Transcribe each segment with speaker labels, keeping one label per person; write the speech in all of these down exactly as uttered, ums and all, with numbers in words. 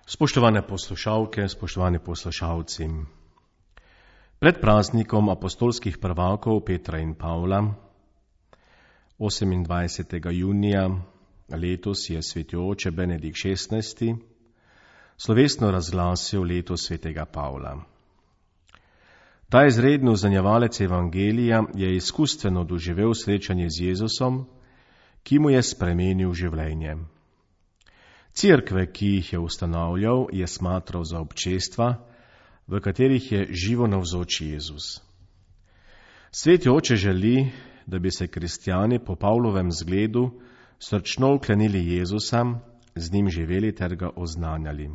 Speaker 1: Spoštovane poslušalke, spoštovani poslušalci. Pred praznikom apostolskih prvakov Petra in Pavla, osemindvajsetega junija letos je sveti oče Benedikt šestnajsti slovesno razglasil leto svetega Pavla. Ta izredni uzanjevalec evangelija je izkustveno doživel srečanje z Jezusom, ki mu je spremenil življenje. Cerkve, ki jih je ustanavljal, je smatral za občestva, v katerih je živo navzoč Jezus. Sveti oče želi, da bi se kristjani po Pavlovem zgledu srčno vklenili Jezusa, z njim živeli ter ga oznanjali.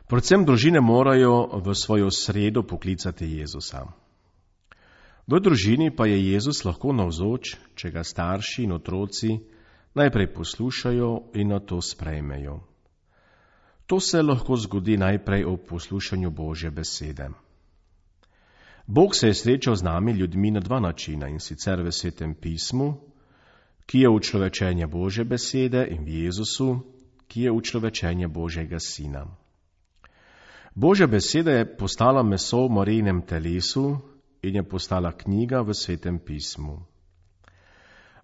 Speaker 1: Predvsem družine morajo v svojo sredo poklicati Jezusa. V družini pa je Jezus lahko navzoč, če ga starši in otroci najprej poslušajo in nato sprejmejo. To se lahko zgodi najprej ob poslušanju Božje besede. Bog se je srečal z nami ljudmi na dva načina, in sicer v Svetem pismu, ki je učlovečenje Božje besede, in v Jezusu, ki je učlovečenje Božjega sina. Božja beseda je postala meso v Marijinem telesu in je postala knjiga v Svetem pismu.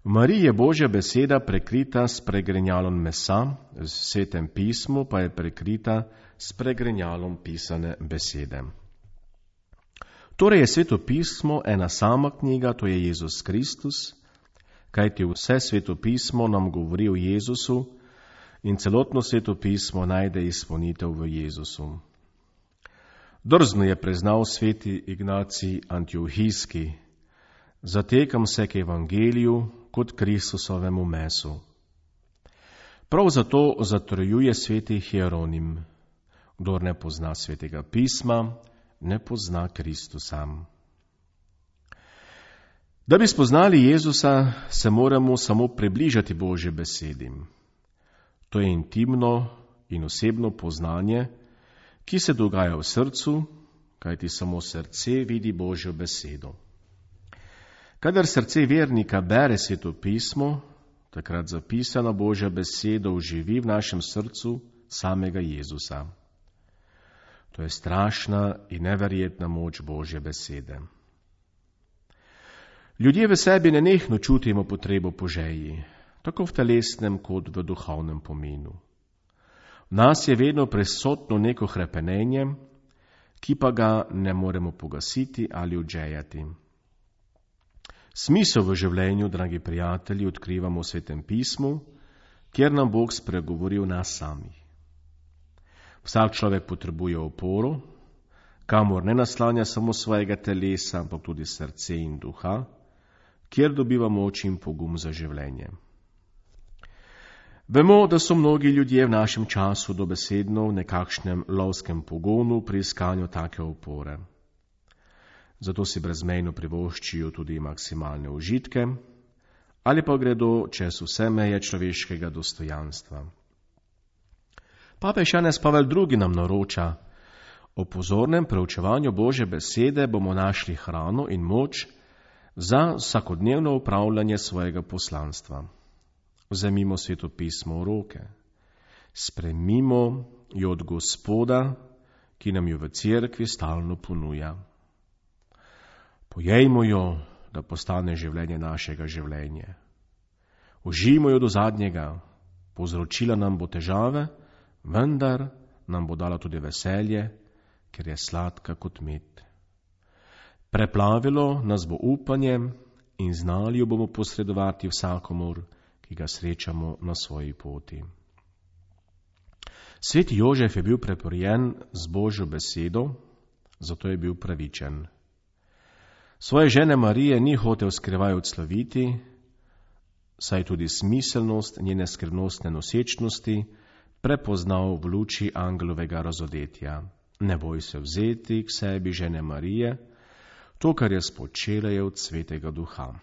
Speaker 1: V Mariji je Božja beseda prekrita s pregrinjalom mesa, v Svetem pismu pa je prekrita s pregrinjalom pisane besede. Torej je Sveto pismo ena sama knjiga, to je Jezus Kristus, kajti vse Sveto pismo nam govori o Jezusu in celotno Sveto pismo najde izpolnitev v Jezusu. Drzno je priznal sveti Ignacij Antiohijski: zatekam se k evangeliju kot Kristusovemu mesu. Prav zato zatrjuje sveti Hieronim: kdor ne pozna svetega pisma, ne pozna Kristusa. Da bi spoznali Jezusa, se moramo samo približati Božji besedi. To je intimno in osebno poznanje, ki se dogaja v srcu, kajti samo srce vidi Božjo besedo. Kadar srce vernika bere Sveto pismo, takrat zapisana Božja beseda oživi v našem srcu samega Jezusa. To je strašna in neverjetna moč Božje besede. Ljudje v sebi nenehno čutimo potrebo po želji, tako v telesnem kot v duhovnem pomenu. V nas je vedno prisotno neko hrepenenje, ki pa ga ne moremo pogasiti ali odžejati. Smisel v življenju, dragi prijatelji, odkrivamo v Svetem pismu, kjer nam Bog spregovori o nas samih. Vsak človek potrebuje oporo, kamor ne naslanja samo svojega telesa, ampak tudi srce in duha, kjer dobiva moč in pogum za življenje. Vemo, da so mnogi ljudje v našem času dobesedno v nekakšnem lovskem pogonu pri iskanju take opore. Zato si brezmejno privoščijo tudi maksimalne užitke, ali pa gredo čez vse meje človeškega dostojanstva. Papež Janez Pavel drugi nam naroča: o pozornem preučevanju Božje besede bomo našli hrano in moč za vsakodnevno upravljanje svojega poslanstva. Vzemimo Sveto pismo v roke, sprejmimo jo od Gospoda, ki nam jo v cerkvi stalno ponuja. Pojejmo jo, da postane življenje našega življenja. Užijmo jo do zadnjega, povzročila nam bo težave, vendar nam bo dala tudi veselje, ker je sladka kot med. Preplavilo nas bo upanje in znali jo bomo posredovati vsakomur, ki ga srečamo na svoji poti. Sveti Jožef je bil preporjen z Božjo besedo, zato je bil pravičen. Svoje žene Marije ni hotel skrivaj odsloviti, saj tudi smiselnost njene skrivnostne nosečnosti prepoznal v luči angelovega razodetja. Ne boj se vzeti k sebi, žene Marije, to, kar je spočela, je od Svetega Duha.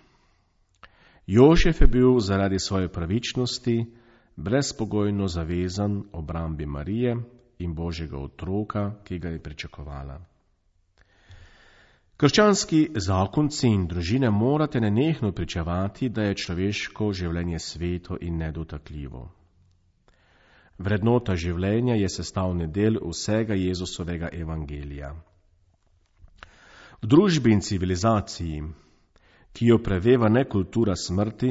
Speaker 1: Jožef je bil zaradi svoje pravičnosti brezpogojno zavezan obrambi Marije in Božjega otroka, ki ga je pričakovala. Krščanski zakonci in družine morate nenehno pričevati, da je človeško življenje sveto in nedotakljivo. Vrednota življenja je sestavni del vsega Jezusovega evangelija. V družbi in civilizaciji, ki jo preveva ne kultura smrti,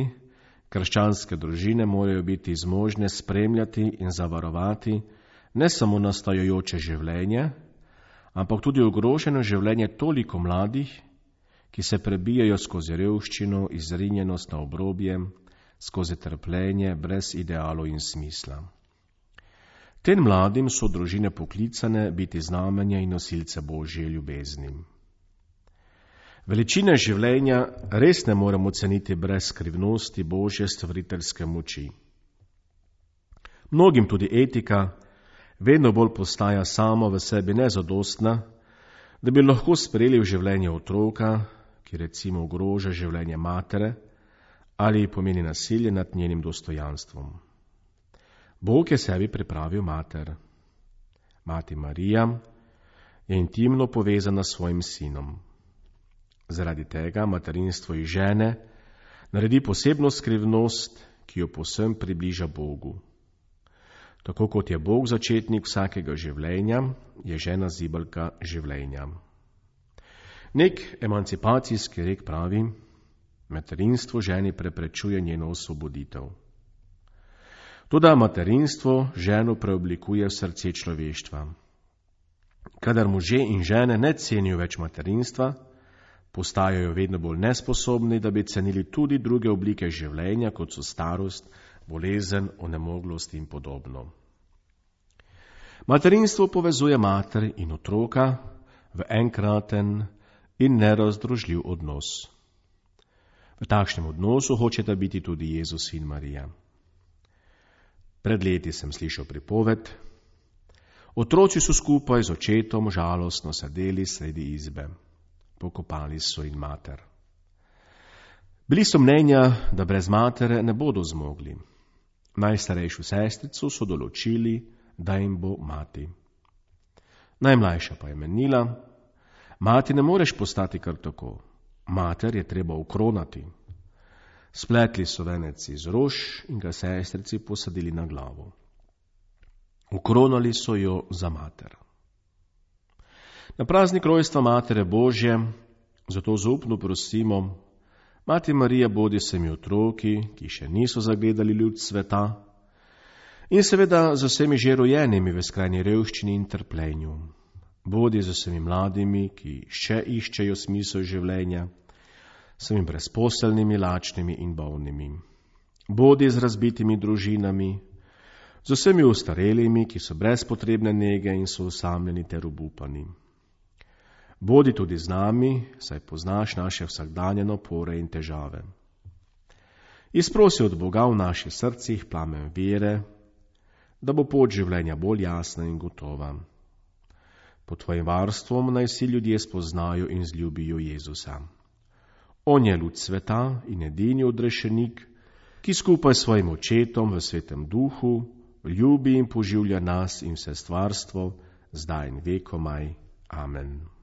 Speaker 1: krščanske družine morajo biti zmožne spremljati in zavarovati ne samo nastajajoče življenje, ampak tudi ogroženo življenje toliko mladih, ki se prebijajo skozi revščino, izrinjenost na obrobje, skozi trpljenje brez idealov in smisla. Tem mladim so družine poklicane biti znamenja in nosilce Božje ljubezni. Veličine življenja res ne moremo ceniti brez skrivnosti Božje stvariteljske moči. Mnogim tudi etika vedno bolj postaja samo v sebi nezadostna, da bi lahko sprejeli v življenje otroka, ki recimo ogroža življenje matere ali pomeni nasilje nad njenim dostojanstvom. Bog je sebi pripravil mater. Mati Marija je intimno povezana s svojim sinom. Zaradi tega materinstvo iz žene naredi posebno skrivnost, ki jo povsem približa Bogu. Tako kot je Bog začetnik vsakega življenja, je žena zibelka življenja. Nek emancipacijski rek pravi, materinstvo ženi preprečuje njeno osvoboditev. Toda materinstvo ženo preoblikuje v srce človeštva. Kadar možje in žene ne cenijo več materinstva, postajajo vedno bolj nesposobni, da bi cenili tudi druge oblike življenja, kot so starost, bolezen, onemoglost in podobno. Materinstvo povezuje mater in otroka v enkraten in nerazdružljiv odnos. V takšnem odnosu hočeta biti tudi Jezus in Marija. Pred leti sem slišal pripoved. Otroci so skupaj z očetom žalostno sedeli sredi izbe. Pokopali so in mater. Bili so mnenja, da brez matere ne bodo zmogli. Najstarejšo sestrico so določili, da jim bo mati. Najmlajša pa je menila, mati ne moreš postati kar tako, mater je treba ukronati. Spletli so venec iz rož in ga sestrici posadili na glavo. Ukronali so jo za mater. Na praznik rojstva Matere Božje zato zaupno prosimo, Mati Marija, bodi se mi otroki, ki še niso zagledali luč sveta, in seveda z vsemi že rojenimi v skrajni revščini in trpljenju. Bodi z vsemi mladimi, ki še iščejo smisel življenja, s vsemi brezposelnimi, lačnimi in bolnimi. Bodi z razbitimi družinami, z vsemi ostarelimi, ki so brez potrebne nege in so osamljeni ter obupani. Bodi tudi z nami, saj poznaš naše vsakdanje napore in težave. Izprosi od Boga v naših srcih plamen vere, da bo pot življenja bolj jasna in gotova. Pod tvojim varstvom naj vsi ljudje spoznajo in zljubijo Jezusa. On je luč sveta in edini odrešenik, ki skupaj s svojim očetom v svetem duhu ljubi in poživlja nas in vse stvarstvo, zdaj in vekomaj. Amen.